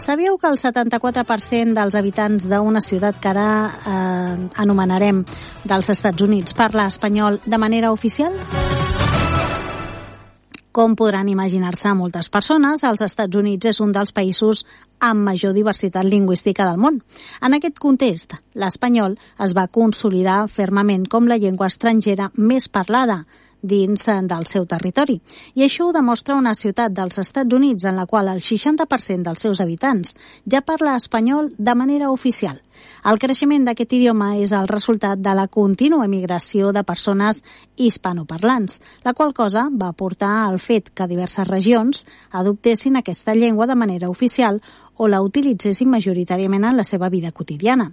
Sabíeu que el 74% dels habitants d'una ciutat que ara anomenarem dels Estats Units parla espanyol de manera oficial? Com podran imaginar-se moltes persones, els Estats Units és un dels països amb major diversitat lingüística del món. En aquest context, l'espanyol es va consolidar fermament com la llengua estrangera més parlada dins del seu territori. I això ho demostra una ciutat dels Estats Units en la qual el 60% dels seus habitants ja parla espanyol de manera oficial. El creixement d'aquest idioma és el resultat de la contínua emigració de persones hispanoparlants, la qual cosa va portar al fet que diverses regions adoptessin aquesta llengua de manera oficial o la utilitzessin majoritàriament en la seva vida quotidiana.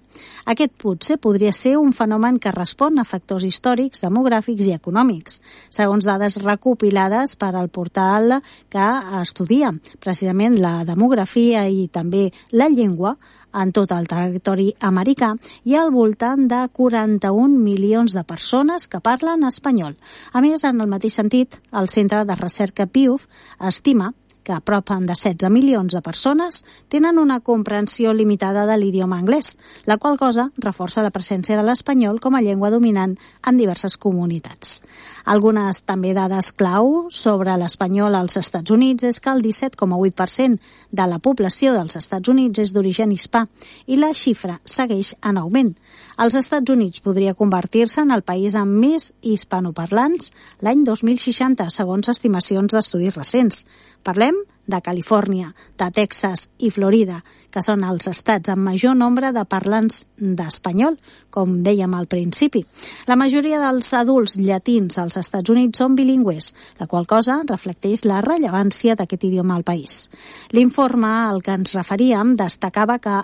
Aquest potser podria ser un fenomen que respon a factors històrics, demogràfics i econòmics, segons dades recopilades per al portal que estudia precisament la demografia i també la llengua en tot el territori americà. Hi ha al voltant de 41 milions de persones que parlen espanyol. A més, en el mateix sentit, el Centre de Recerca Pew estima que a prop de 16 milions de persones tenen una comprensió limitada de l'idioma anglès, la qual cosa reforça la presència de l'espanyol com a llengua dominant en diverses comunitats. Algunes també dades clau sobre l'espanyol als Estats Units és que el 17,8% de la població dels Estats Units és d'origen hispà i la xifra segueix en augment. Els Estats Units podria convertir-se en el país amb més hispanoparlants l'any 2060, segons estimacions d'estudis recents. Parlem de Califòrnia, de Texas i Florida, que són els estats amb major nombre de parlants d'espanyol, com dèiem al principi. La majoria dels adults llatins als Estats Units són bilingües, la qual cosa reflecteix la rellevància d'aquest idioma al país. L'informe al que ens referíem destacava que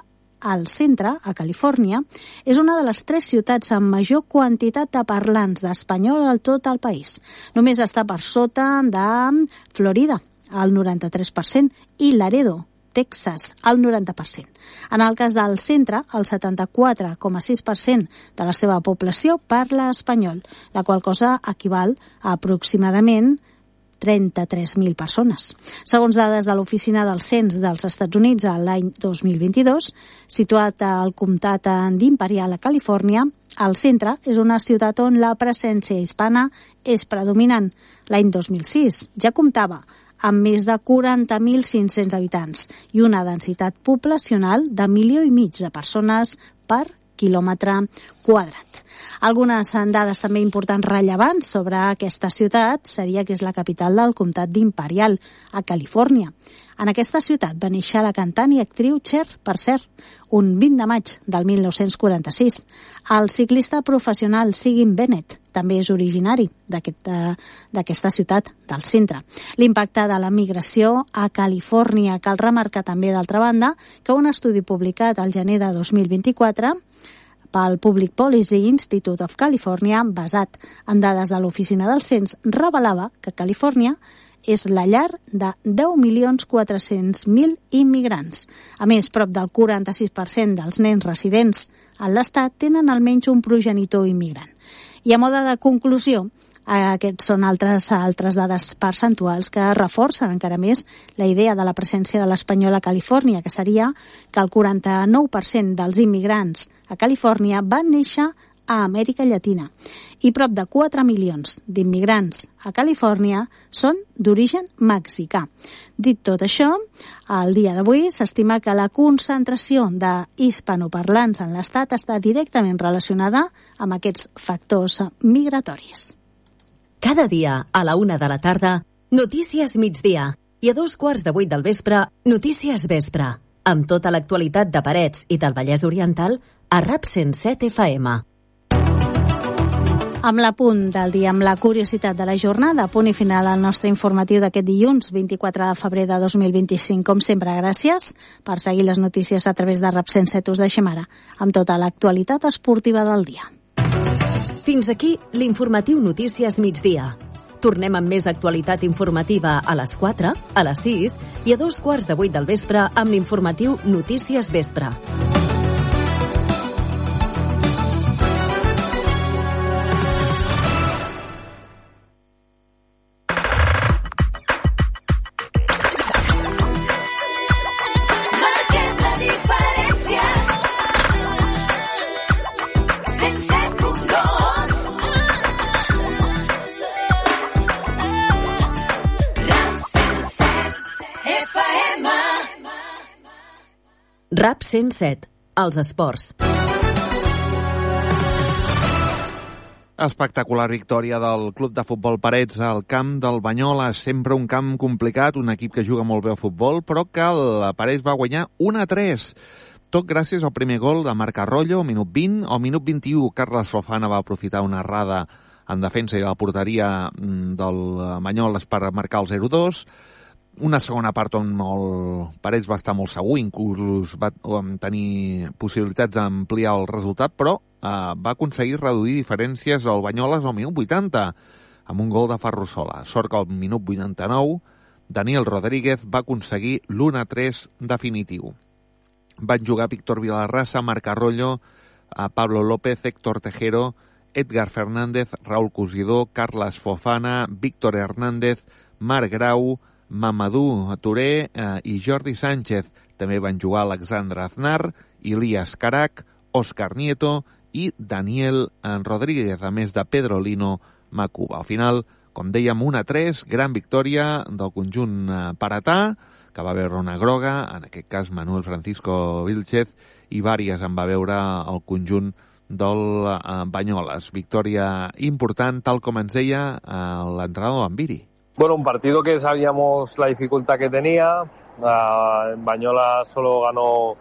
al centre, a Califòrnia, és una de les 3 ciutats amb major quantitat de parlants d'espanyol a tot el país. Només està per sota de Florida, al 93%, i Laredo, Texas, al 90%. En el cas del centre, el 74,6% de la seva població parla espanyol, la qual cosa equival a aproximadament 33.000 persones. Segons dades de l'Oficina del Cens dels Estats Units a l'any 2022, situat al comtat d'Imperial a Califòrnia, el centre és una ciutat on la presència hispana és predominant. L'any 2006 ja comptava amb més de 40.500 habitants i una densitat poblacional de 1,5 milions de persones per quilòmetre quadrat. Algunes dades també importants rellevants sobre aquesta ciutat seria que és la capital del comtat d'Imperial, a Califòrnia. En aquesta ciutat va néixer la cantant i actriu Cher, per cert, un 20 de maig del 1946. El ciclista professional Sigyn Bennett també és originari d'aquesta ciutat, del centre. L'impacte de la migració a Califòrnia cal remarcar també, d'altra banda, que un estudi publicat al gener de 2024 pel Public Policy Institute of California, basat en dades de l'Oficina del Cens, revelava que Califòrnia és la llar de 10.400.000 immigrants. A més, prop del 46% dels nens residents en l'Estat tenen almenys un progenitor immigrant. I a mode de conclusió, aquests són altres dades percentuals que reforcen encara més la idea de la presència de l'espanyol a Califòrnia, que seria que el 49% dels immigrants a Califòrnia van néixer a Amèrica Llatina i prop de 4 milions d'immigrants a Califòrnia són d'origen mexicà. Dit tot això, al dia d'avui s'estima que la concentració d'hispanoparlants en l'Estat està directament relacionada amb aquests factors migratoris. Cada dia, a la 1 de la tarda, Notícies Migdia. I a 2:15 del vespre, Notícies Vespre. Amb tota l'actualitat de Parets i del Vallès Oriental a RAP 107 FM. Amb l'apunt del dia, amb la curiositat de la jornada, punt i final al nostre informatiu d'aquest dilluns, 24 de febrer de 2025. Com sempre, gràcies per seguir les notícies a través de RAP 107. Us deixem ara amb tota l'actualitat esportiva del dia. Fins aquí l'informatiu Notícies Migdia. Tornem amb més actualitat informativa a les 4, a les 6 i a 2:15 del vespre amb l'informatiu Notícies Vespre. RAP 107, els esports. Espectacular victòria del Club de Futbol Parets al camp del Banyoles. Sempre un camp complicat, un equip que juga molt bé a futbol, però que el Parets va guanyar 1-3. Tot gràcies al primer gol de Marc Arroyo, al minut 20. Al minut 21, Carles Fofana va aprofitar una errada en defensa i a la porteria del Banyoles per marcar el 0-2. Una segona part on el Parets va estar molt segur, inclús va tenir possibilitats d'ampliar el resultat, però va aconseguir reduir diferències al Banyoles al minut 80, amb un gol de Ferrusola. Sort que al minut 89, Daniel Rodríguez va aconseguir l'1-3 definitiu. Van jugar Víctor Vilarrasa, Marc Arroyo, Pablo López, Héctor Tejero, Edgar Fernández, Raúl Cosidó, Carles Fofana, Víctor Hernández, Marc Grau, Mamadou Touré i Jordi Sánchez. També van jugar Alexandre Aznar, Ilias Carac, Òscar Nieto i Daniel Rodríguez, a més de Pedro Lino Macuba. Al final, com dèiem, 1-3, gran victòria del conjunt paratà, que va veure una groga, en aquest cas Manuel Francisco Vilchez, i vàries en va veure el conjunt del Banyoles. Victòria important, tal com ens deia l'entrenador Ambiri. Bueno, un partido que sabíamos la dificultad que tenía. Banyolas solo ganó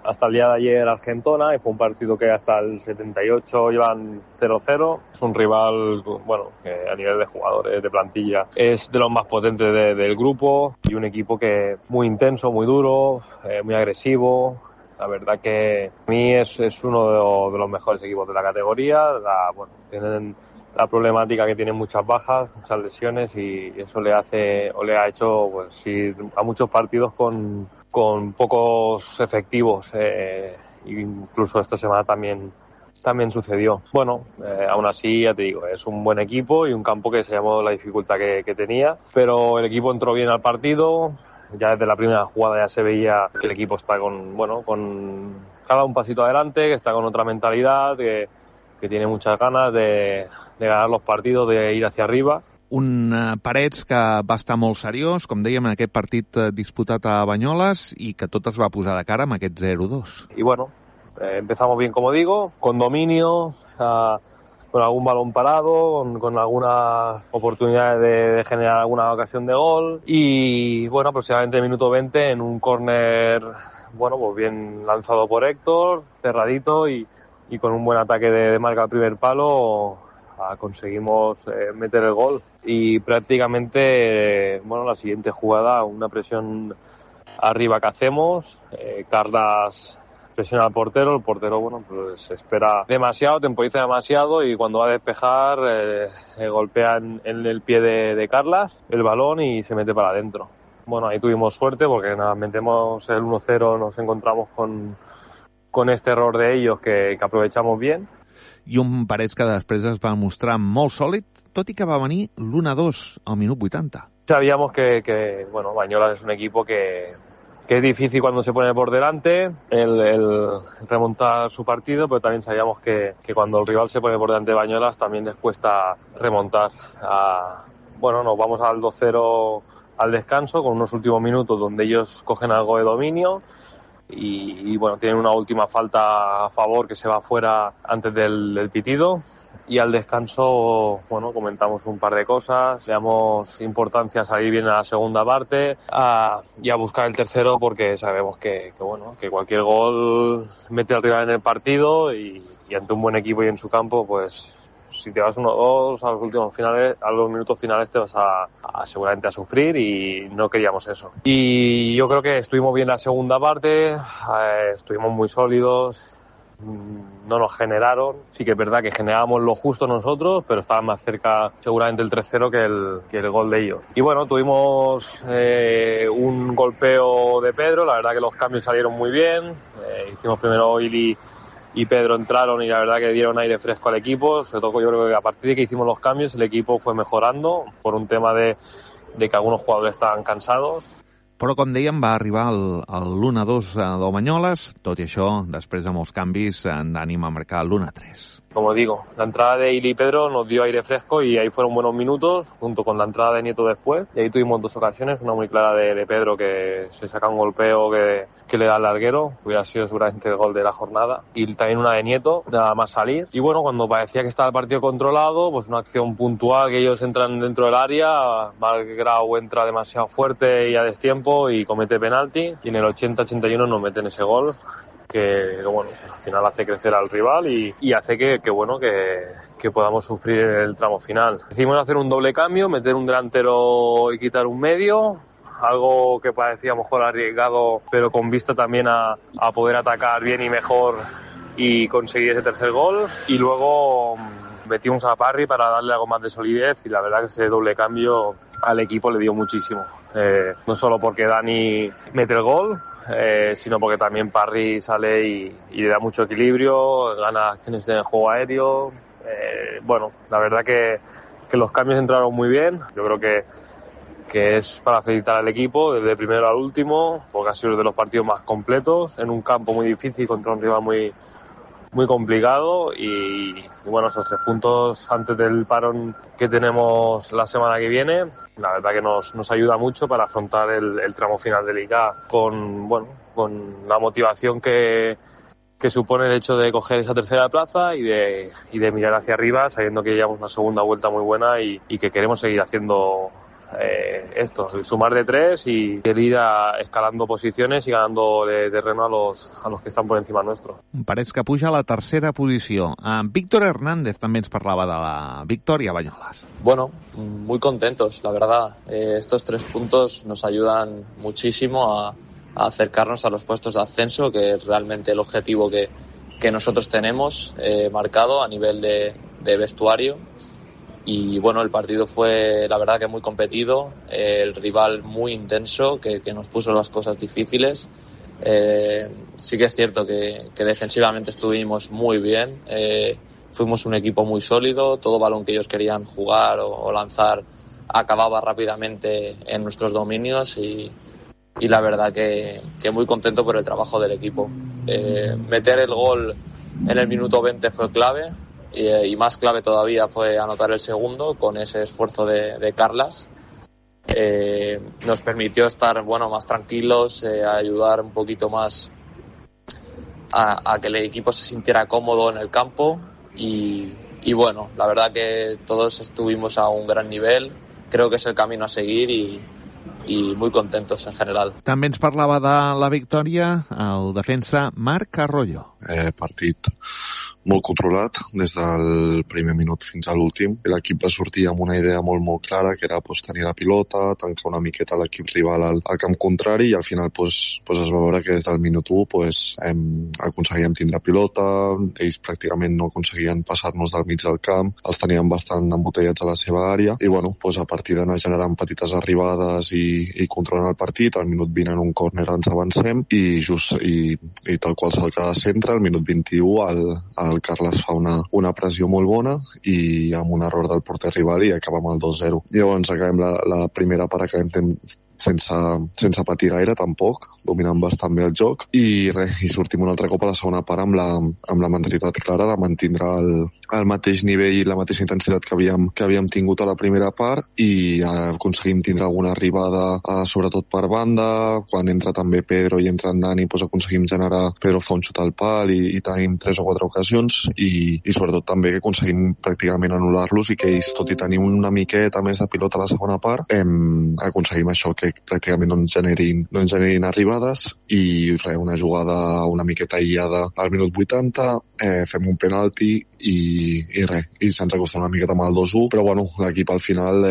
hasta el día de ayer Argentona y fue un partido que hasta el 78 iban 0-0. Es un rival, bueno, que a nivel de jugadores, de plantilla, es de los más potentes del grupo y un equipo que muy intenso, muy duro, muy agresivo. La verdad que a mí es uno de los mejores equipos de la categoría. Tienen la problemática que tienen muchas bajas, muchas lesiones y eso le ha hecho pues ir a muchos partidos con pocos efectivos. Incluso esta semana también sucedió. Bueno, aún así, ya te digo, es un buen equipo y un campo que se llamó la dificultad que tenía, pero el equipo entró bien al partido. Ya desde la primera jugada ya se veía que el equipo está con cada un pasito adelante, que está con otra mentalidad, que tiene muchas ganas de ganar los partidos, de ir hacia arriba. Un Parets que va estar molt seriós, com dèiem, en aquest partit disputat a Banyoles i que tot es va posar de cara amb aquest 0-2. Y bueno, empezamos bien, como digo, con dominio, con algún balón parado, con algunas oportunidades de generar alguna ocasión de gol y bueno, aproximadamente en el minuto 20 en un córner, bueno, pues bien lanzado por Héctor, cerradito y con un buen ataque de marca al primer palo conseguimos meter el gol y prácticamente, bueno, la siguiente jugada, una presión arriba que hacemos, Carlas presiona al portero, el portero bueno pues espera demasiado, temporiza demasiado y cuando va a despejar golpea en el pie de Carlas el balón y se mete para adentro. Bueno, ahí tuvimos suerte porque nada, metemos el 1-0, nos encontramos con este error de ellos que aprovechamos bien. I un Parets que després es va mostrar molt sòlid, tot i que va venir l'1-2 al minut 80. Sabíamos que bueno, Banyolas es un equipo que es difícil cuando se pone por delante el remontar su partido, pero también sabíamos que cuando el rival se pone por delante de Banyolas también les cuesta remontar. Bueno, nos vamos al 2-0 al descanso con unos últimos minutos donde ellos cogen algo de dominio y bueno, tienen una última falta a favor que se va fuera antes del pitido. Y al descanso, bueno, comentamos un par de cosas, le damos importancia a salir bien a la segunda parte y a buscar el tercero porque sabemos que cualquier gol mete al rival en el partido y ante un buen equipo y en su campo, pues si te vas 1-2 a los minutos finales te vas seguramente a sufrir y no queríamos eso. Y yo creo que estuvimos bien la segunda parte, estuvimos muy sólidos. No nos generaron, sí que es verdad que generábamos lo justo nosotros, pero estaba más cerca seguramente el 3-0 que el gol de ellos. Y bueno, tuvimos un golpeo de Pedro, la verdad que los cambios salieron muy bien, hicimos primero Ili y Pedro entraron y la verdad que dieron aire fresco al equipo, sobre todo yo creo que a partir de que hicimos los cambios el equipo fue mejorando por un tema de que algunos jugadores estaban cansados. Però, com dèiem, va arribar el 1-2 del Banyoles, tot i això, després de molts canvis, d'ànim a marcar l'1-3. Como digo, la entrada de Ili y Pedro nos dio aire fresco y ahí fueron buenos minutos, junto con la entrada de Nieto después. Y ahí tuvimos dos ocasiones, una muy clara de Pedro que se saca un golpeo que le da al larguero, hubiera sido seguramente el gol de la jornada. Y también una de Nieto, nada más salir. Y bueno, cuando parecía que estaba el partido controlado, pues una acción puntual que ellos entran dentro del área, Malgrau entra demasiado fuerte y a destiempo y comete penalti. Y en el 80-81 nos meten ese gol. Que bueno, pues al final hace crecer al rival y hace que podamos sufrir el tramo final. Decidimos hacer un doble cambio, meter un delantero y quitar un medio, algo que parecía mejor arriesgado, pero con vista también a poder atacar bien y mejor y conseguir ese tercer gol. Y luego metimos a Parry para darle algo más de solidez y la verdad que ese doble cambio al equipo le dio muchísimo. No solo porque Dani mete el gol, sino porque también Parry sale y le da mucho equilibrio, gana acciones en el juego aéreo. Bueno, la verdad que los cambios entraron muy bien. Yo creo que es para felicitar al equipo desde el primero al último, porque ha sido de los partidos más completos, en un campo muy difícil contra un rival muy complicado y bueno, esos 3 puntos antes del parón que tenemos la semana que viene, la verdad que nos ayuda mucho para afrontar el tramo final de Liga con la motivación que supone el hecho de coger esa tercera plaza y de mirar hacia arriba sabiendo que llevamos una segunda vuelta muy buena y que queremos seguir haciendo el sumar de 3 y el ir escalando posiciones y ganando de terreno a los que están por encima nuestro. Parets que puja a la tercera posició. Víctor Hernández també ens parlava de la victòria a Banyoles. Bueno, muy contentos, la verdad. Estos 3 puntos nos ayudan muchísimo a acercarnos a los puestos de ascenso, que es realmente el objetivo que nosotros tenemos marcado a nivel de vestuario. Y bueno, el partido fue la verdad que muy competido, el rival muy intenso que nos puso las cosas difíciles. Sí que es cierto que defensivamente estuvimos muy bien, fuimos un equipo muy sólido, todo balón que ellos querían jugar o lanzar acababa rápidamente en nuestros dominios y la verdad que muy contento por el trabajo del equipo. Meter el gol en el minuto 20 fue clave. Y más clave todavía fue anotar el segundo con ese esfuerzo de Carlas. Nos permitió estar más tranquilos, ayudar un poquito más a que el equipo se sintiera cómodo en el campo y bueno, la verdad que todos estuvimos a un gran nivel, creo que es el camino a seguir y muy contentos en general. També ens parlava de la victòria el defensa Marc Arroyo. Partit molt controlat des del primer minut fins a l'últim. L'equip va sortir amb una idea molt clara, que era tenir la pilota, tancar una miqueta l'equip rival al camp contrari, i al final es va veure que des del minut 1 aconseguíem tindre pilota, ells pràcticament no aconseguien passar-nos del mig del camp, els teníem bastant embotellats a la seva àrea, i a partir d'anar generant petites arribades i controlant el partit, al minut 20 en un córner ens avancem, i tal qual salta de centre, al minut 21 el Carles fa una pressió molt bona i amb un error del porter rival i acabem el 2-0. Llavors acabem la primera part, acabem sense patir gaire tampoc, dominant bastant bé el joc i sortim un altre cop a la segona part amb la mentalitat clara de mantindre el mateix nivell i la mateixa intensitat que havíem tingut a la primera part, i aconseguim tindre alguna arribada sobretot per banda, quan entra també Pedro i entra en Dani, aconseguim generar, Pedro fa un xut al pal i tenim 3 o 4 ocasions, i sobretot també que aconseguim pràcticament anul·lar-los, i que ells, tot i tenir una miqueta més de pilota a la segona part, aconseguim això, que pràcticament no ens generin arribades, i una jugada una miqueta aïllada al minut 80, fem un penalti i se'ns acosta una miqueta amb el 2-1, però l'equip al final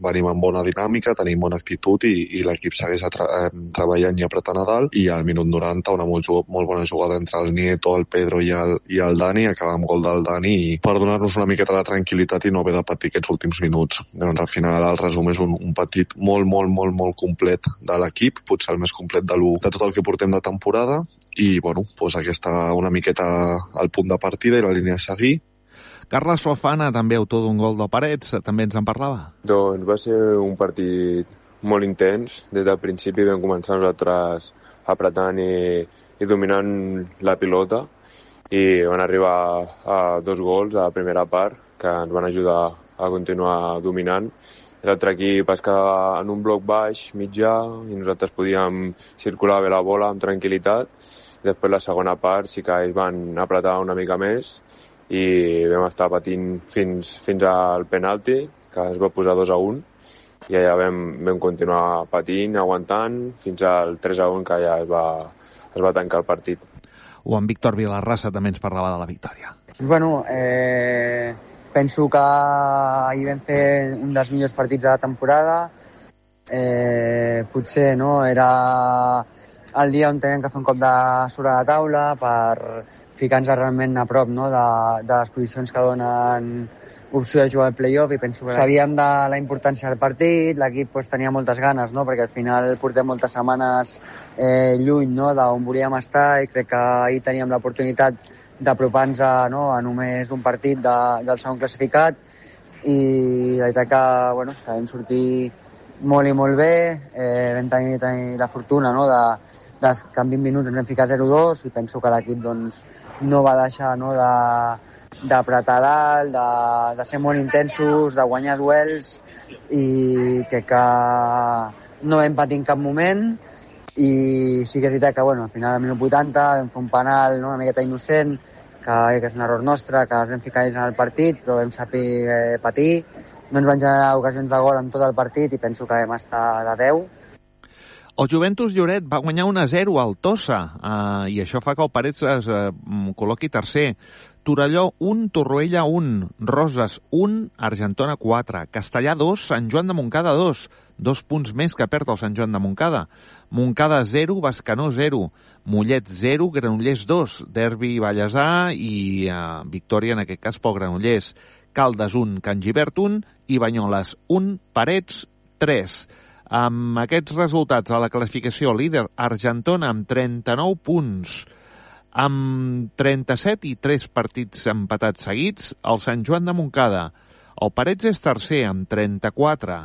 venim amb bona dinàmica, tenim bona actitud i l'equip segueix treballant i apretant a dalt, i al minut 90 una molt bona jugada entre el Nieto, el Pedro i el Dani, acaba amb gol del Dani per donar-nos una miqueta de tranquil·litat i no haver de patir aquests últims minuts. Doncs al final el resum és un partit molt complet de l'equip, potser el més complet de tot el que portem de temporada, i aquesta una miqueta al punt de partida i la línia a seguir. Carles Fofana, també autor d'un gol de Parets, també ens en parlava. Doncs va ser un partit molt intens. Des del principi vam començar nosaltres apretant i dominant la pilota, i van arribar a 2 gols a la primera part que ens van ajudar a continuar dominant. L'altre equip es quedava en un bloc baix, mitjà, i nosaltres podíem circular bé la bola amb tranquil·litat. Després la segona part sí que ells van apretar una mica més i vam estar patint fins al penalti, que es va posar 2-1, i allà vam continuar patint, aguantant, fins al 3-1, que ja es va tancar el partit. O en Víctor Vilarrasa també ens parlava de la victòria. Penso que ahir vam fer un dels millors partits de la temporada. Potser era el dia on teníem que fer un cop de sobre la taula per ficar-nos realment a prop de les posicions que donen opció de jugar al play-off, i penso que sabíem de la importància del partit, l'equip tenia moltes ganes, perquè al final portem moltes setmanes lluny d'on volíem estar, i crec que ahir teníem l'oportunitat d'apropar-nos a només un partit del segon classificat, i la veritat que vam sortir molt i molt bé. Vam tenir la fortuna que en 20 minuts ens vam ficar 0-2, i penso que l'equip no va deixar d'apretar dalt, de ser molt intensos, de guanyar duels, i crec que no vam patir en cap moment. I sí que és veritat que al final al minut 80 vam fer un penal una miqueta innocent, que és un error nostre, que ens vam ficar ells en el partit, però vam saber patir. No ens van generar ocasions de gol en tot el partit, i penso que vam estar de 10. El Juventus Lloret va guanyar 1-0 al Tossa, i això fa que el Parets es col·loqui tercer. Torelló 1, Torroella 1, Roses 1, Argentona 4, Castellà 2, Sant Joan de Montcada 2, 2 punts més que perd el Sant Joan de Montcada. Montcada 0, Bescanó 0, Mollet 0, Granollers 2, Derbi Vallèsà i victòria en aquest cas pel Granollers. Caldes 1, Can Gibert 1 i Banyoles 1, Parets 3. Amb aquests resultats a la classificació, líder Argentona amb 39 punts, amb 37 i 3 partits empatats seguits, el Sant Joan de Montcada. El Parets és tercer amb 34,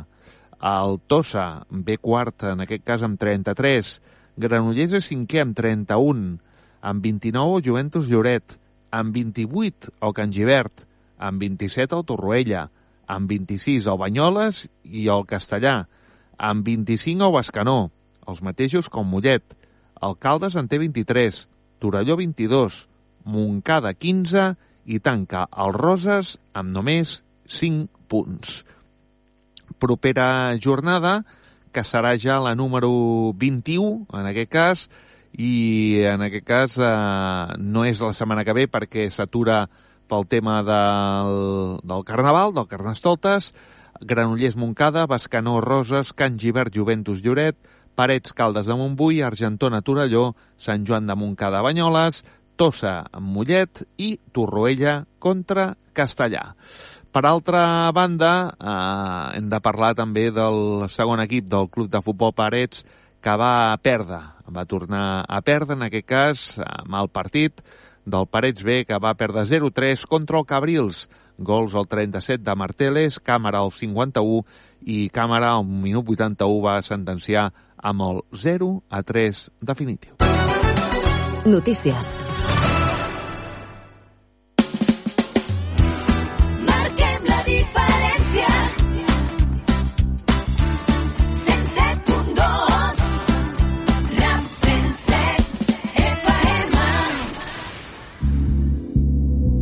el Tossa ve quart, en aquest cas amb 33, Granollers és cinquè amb 31, amb 29 el Juventus Lloret, amb 28 el Can Gibert, amb 27 el Torroella, amb 26 el Banyoles i el Castellà, amb 25 el Bescanó, els mateixos com Mollet. El Caldes en té 23, Torelló 22, Montcada 15 i tanca el Roses amb només 5 punts. Propera jornada que serà ja la número 21, en aquest cas, i en aquest cas no és la setmana que ve perquè s'atura pel tema del Carnaval, del Carnestoltes. Granollers Montcada, Bescanó Roses, Can Givert Juventus Lloret, Parets Caldes de Montbui, Argentona Torelló, Sant Joan de Montcada Banyoles, Tossa Mollet i Torroella contra Castellà. Per altra banda, hem de parlar també del segon equip del Club de Futbol Parets, que va tornar a perdre, en aquest cas, mal partit, del Parets B, que va perdre 0-3 contra el Cabrils. Gols al 37 de Marteles, Càmera al 51 i Càmera al minut 81 va sentenciar amb el 0-3 definitiu. Notícies.